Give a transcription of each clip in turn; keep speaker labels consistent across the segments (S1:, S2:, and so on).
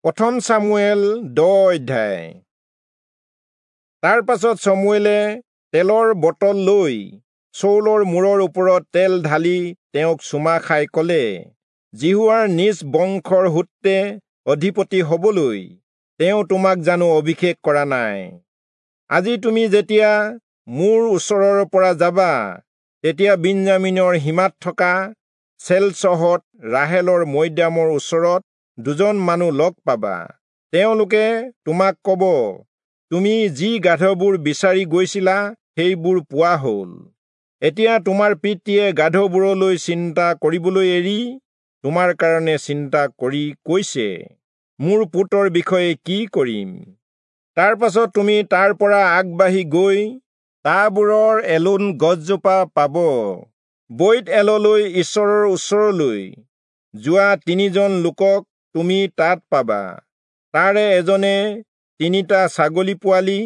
S1: প্ৰথম চামুৱেল 10 অধ্যায়। তাৰ পাছত চমুৱেলে তেলৰ বটল লৈ চৌলৰ মূৰৰ ওপৰত তেল ঢালি তেওঁক চুমা খাই ক'লে, যিহোৱাৰ নিজ বংশৰ সূত্ৰে অধিপতি হবলৈ তেওঁ তোমাক জানো অভিষেক কৰা নাই? আজি তুমি যেতিয়া মোৰ ওচৰৰ পৰা যাবা, তেতিয়া বিন্যামীনৰ সীমাত থকা চেলচহত ৰাহেলৰ মৈদামৰ ওচৰত দুজন মানুহ লগ পাবা। তেওঁলোকে তোমাক ক'ব, তুমি যি গাধবোৰ বিচাৰি গৈছিলা সেইবোৰ পোৱা হ'ল। এতিয়া তোমাৰ পিতৃয়ে গাধবোৰলৈ চিন্তা কৰিবলৈ এৰি তোমাৰ কাৰণে চিন্তা কৰি কৈছে, মোৰ পুত্ৰৰ বিষয়ে কি কৰিম? তাৰ পাছত তুমি তাৰ পৰা আগবাঢ়ি গৈ তাবোৰৰ এলোন গছজোপা পাব। বৈৎ এললৈ ঈশ্বৰৰ ওচৰলৈ যোৱা তিনিজন লোকক তুমি তাত পাবা। তাৰে এজনে 3টা ছাগলী পোৱালি,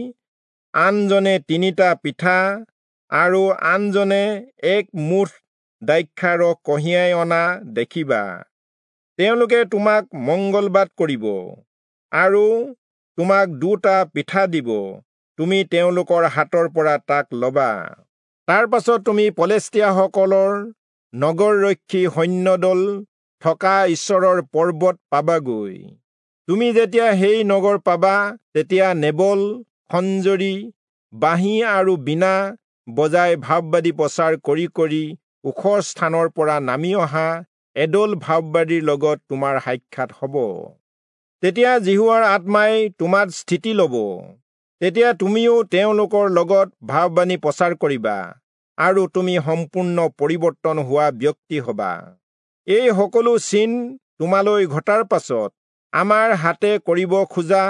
S1: আনজনে 3টা পিঠা আৰু আনজনে এক মুঠ দ্ৰাক্ষাৰস কঢ়িয়াই অনা দেখিবা। তেওঁলোকে তোমাক মংগলবাদ কৰিব আৰু তোমাক 2টা পিঠা দিব। তুমি তেওঁলোকৰ হাতৰ পৰা তাক লবা। তাৰ পাছত তুমি পলেষ্টীয়াসকলৰ নগৰৰক্ষী সৈন্যদল থকা ঈশ্বৰৰ পৰ্বত পাবাগৈ। তুমি যেতিয়া সেই নগৰ পাবা, তেতিয়া নেবল, খঞ্জৰি, বাঁহী আৰু বীণা বজাই ভাববাদী প্ৰচাৰ কৰি কৰি ওখ স্থানৰ পৰা নামি অহা এদল ভাববাদীৰ লগত তোমাৰ সাক্ষাৎ হ'ব। তেতিয়া যিহোৱাৰ আত্মাই তোমাত স্থিতি ল'ব। তেতিয়া তুমিও তেওঁলোকৰ লগত ভাববাণী প্ৰচাৰ কৰিবা আৰু তুমি সম্পূৰ্ণ পৰিৱৰ্তন হোৱা ব্যক্তি হ'বা। এই সকলো চিন তোমালৈ ঘটাৰ পাছত আমাৰ হাতে কৰিব খোজা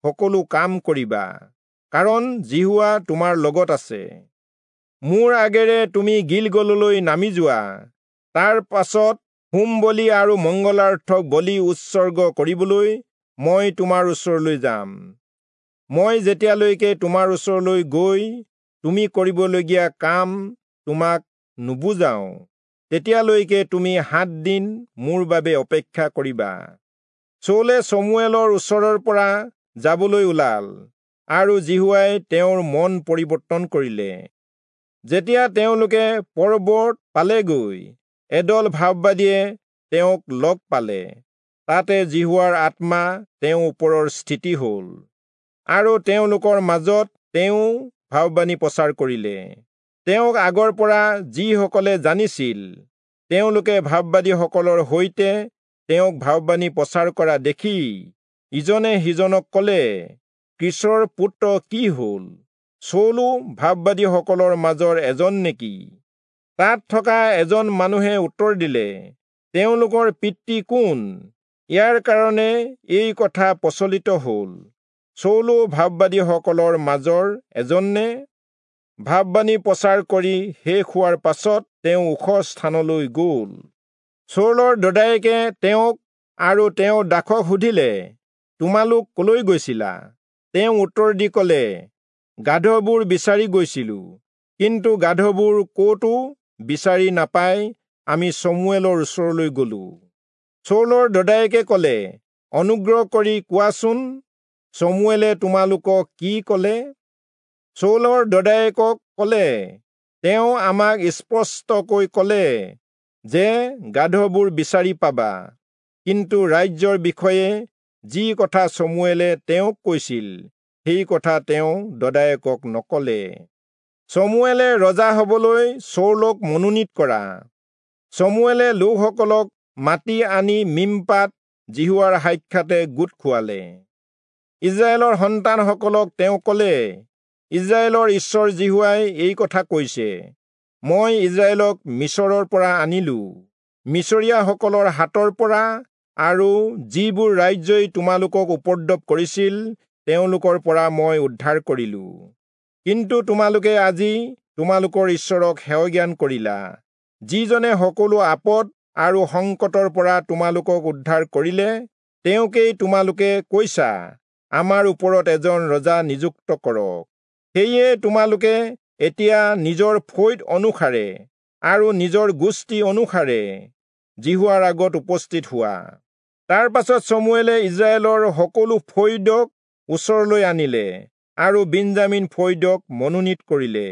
S1: সকলো কাম কৰিবা, কাৰণ যিহোৱা তোমাৰ লগত আছে। মোৰ আগেৰে তুমি গিলগললৈ নামি যোৱা। তাৰ পাছত হোম বলি আৰু মংগলাৰ্থক বলি উৎসৰ্গ কৰিবলৈ মই তোমাৰ ওচৰলৈ যাম। মই যেতিয়ালৈকে তোমাৰ ওচৰলৈ গৈ তুমি কৰিবলগীয়া কাম তোমাক নুবুজাওঁ, তেতিয়ালৈকে তুমি 7 দিন মোৰ বাবে অপেক্ষা কৰিবা। চৌলে চমুৱেলৰ ওচৰৰ পৰা যাবলৈ ওলাল আৰু যিহোৱাই তেওঁৰ মন পৰিৱৰ্তন কৰিলে। যেতিয়া তেওঁলোকে পৰ্বত পালেগৈ, এদল ভাববাদীয়ে তেওঁক লগ পালে। তাতে যিহোৱাৰ আত্মা তেওঁৰ ওপৰৰ স্থিতি হ'ল আৰু তেওঁলোকৰ মাজত তেওঁ ভাববাণী প্ৰচাৰ কৰিলে। তেওঁক আগৰ পৰা যিসকলে জানিছিল, তেওঁলোকে ভাববাদীসকলৰ সৈতে তেওঁক ভাববাণী প্ৰচাৰ কৰা দেখি ইজনে সিজনক ক'লে, কীচৰ পুত্ৰ কি হ'ল? চৌলো ভাববাদীসকলৰ মাজৰ এজন নেকি? তাত থকা এজন মানুহে উত্তৰ দিলে, তেওঁলোকৰ পিতৃ কোন? ইয়াৰ কাৰণে এই কথা প্ৰচলিত হ'ল, চৌলো ভাববাদীসকলৰ মাজৰ এজন নে? ভাববাণী প্ৰচাৰ কৰি শেষ হোৱাৰ পাছত তেওঁ ওখ স্থানলৈ গ'ল। চৌলৰ দদায়েকে তেওঁক আৰু তেওঁৰ দাসক সুধিলে, তোমালোক কলৈ গৈছিলা? তেওঁ উত্তৰ দি ক'লে, গাধবোৰ বিচাৰি গৈছিলো, কিন্তু গাধবোৰ ক'তো বিচাৰি নাপাই আমি চমুৱেলৰ ওচৰলৈ গলো। চৌলৰ দদায়েকে ক'লে, অনুগ্ৰহ কৰি কোৱাচোন, চমুৱেলে তোমালোকক কি ক'লে? চৌলৰ দদায়েকক ক'লে, তেওঁ আমাক স্পষ্টকৈ ক'লে যে গাধবোৰ বিচাৰি পাবা, কিন্তু ৰাজ্যৰ বিষয়ে যি কথা চমুৱেলে তেওঁক কৈছিল, সেই কথা তেওঁ দদায়েকক নক'লে। চমুৱেলে ৰজা হবলৈ চৌলক মনোনীত কৰা। চমুৱেলে লোকসকলক মাতি আনি মিম্পাত যিহোৱাৰ সাক্ষাতে গোট খুৱালে। ইস্ৰায়েলৰ সন্তানসকলক তেওঁ ক'লে, ইস্ৰায়েলৰ ঈশ্বৰ যিহোৱাই এই কথা কৈছে, মই ইস্ৰায়েলক মিচৰৰ পৰা আনিলো, মিচৰীয়াসকলৰ হাতৰ পৰা আৰু যিবোৰ ৰাজ্যই তোমালোকক উপদ্ৰৱ কৰিছিল তেওঁলোকৰ পৰা মই উদ্ধাৰ কৰিলো। কিন্তু তোমালোকে আজি তোমালোকৰ ঈশ্বৰক হেয়জ্ঞান কৰিলা, যিজনে সকলো আপদ আৰু সংকটৰ পৰা তোমালোকক উদ্ধাৰ কৰিলে। তেওঁকেই তোমালোকে কৈছা, আমাৰ ওপৰত এজন ৰজা নিযুক্ত কৰক। সেয়ে তোমালোকে এতিয়া নিজৰ ফৈদ অনুসাৰে আৰু নিজৰ গোষ্ঠী অনুসাৰে যিহোৱাৰ আগত উপস্থিত হোৱা। তাৰ পাছত চমুৱেলে ইস্ৰায়েলৰ সকলো ফৈদক ওচৰলৈ আনিলে আৰু বিন্যামীন ফৈদক মনোনীত কৰিলে।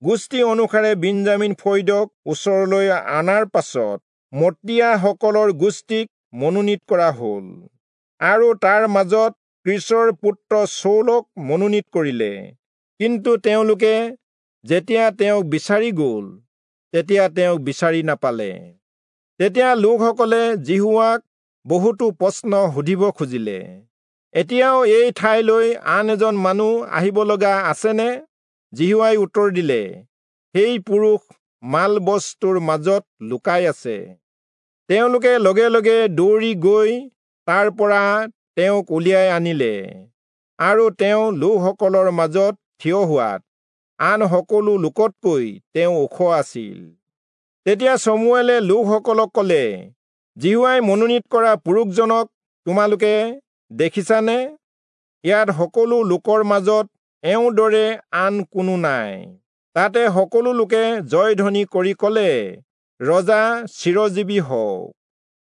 S1: গোষ্ঠী অনুসাৰে বিন্যামীন ফৈদক ওচৰলৈ অনাৰ পাছত মত্ৰীয়াসকলৰ গোষ্ঠীক মনোনীত কৰা হ'ল আৰু তাৰ মাজত কীচৰ পুত্ৰ চৌলক মনোনীত কৰিলে। কিন্তু তেওঁলোকে যেতিয়া তেওঁক বিচাৰি গ'ল, তেতিয়া তেওঁক বিচাৰি নাপালে। তেতিয়া লোকসকলে যিহোৱাক বহুতো প্ৰশ্ন সুধিব খুজিলে, এতিয়াও এই ঠাইলৈ আন এজন মানুহ আহিব লগা আছেনে? যিহোৱাই উত্তৰ দিলে, সেই পুৰুষ মাল বস্তুৰ মাজত লুকাই আছে। তেওঁলোকে লগে লগে দৌৰি গৈ তাৰ পৰা তেওঁক উলিয়াই আনিলে আৰু তেওঁ লোকসকলৰ মাজত থিয় হোৱাত আন সকলো লোকতকৈ তেওঁ ওখ আছিল। তেতিয়া চমুৱেলে লোকসকলক ক'লে, যিহোৱাই মনোনীত কৰা পুৰুষজনক তোমালোকে দেখিছানে? ইয়াত সকলো লোকৰ মাজত এওঁৰ দৰে আন কোনো নাই। তাতে সকলো লোকে জয়ধ্বনি কৰি ক'লে, ৰজা চিৰজীৱী হওক।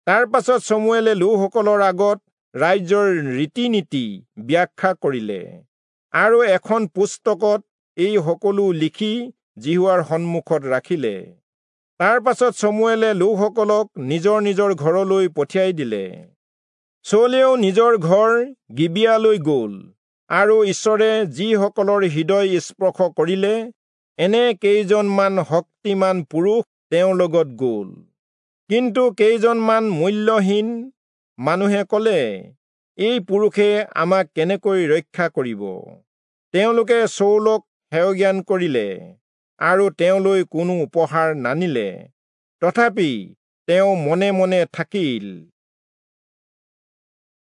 S1: তাৰ পাছত চমুৱেলে লোকসকলৰ আগত ৰাজ্যৰ ৰীতি নীতি ব্যাখ্যা কৰিলে আৰু এখন পুস্তকত এই সকলো লিখি যিহোৱাৰ সন্মুখত ৰাখিলে। তাৰ পাছত চমুৱেলে লোকসকলক নিজৰ নিজৰ ঘৰলৈ পঠিয়াই দিলে। চৌলেও নিজৰ ঘৰ গিবিয়ালৈ গ'ল আৰু ঈশ্বৰে যিসকলৰ হৃদয় স্পৰ্শ কৰিলে, এনে কেইজনমান শক্তিমান পুৰুষ তেওঁৰ লগত গ'ল। কিন্তু কেইজনমান মূল্যহীন মানুহে ক'লে, এই পুৰুষে আমাক কেনেকৈ ৰক্ষা কৰিব? তেওঁলোকে চৌলক হেয়জ্ঞান কৰিলে আৰু তেওঁলৈ কোনো উপহাৰ নানিলে। তথাপি তেওঁ মনে মনে থাকিল।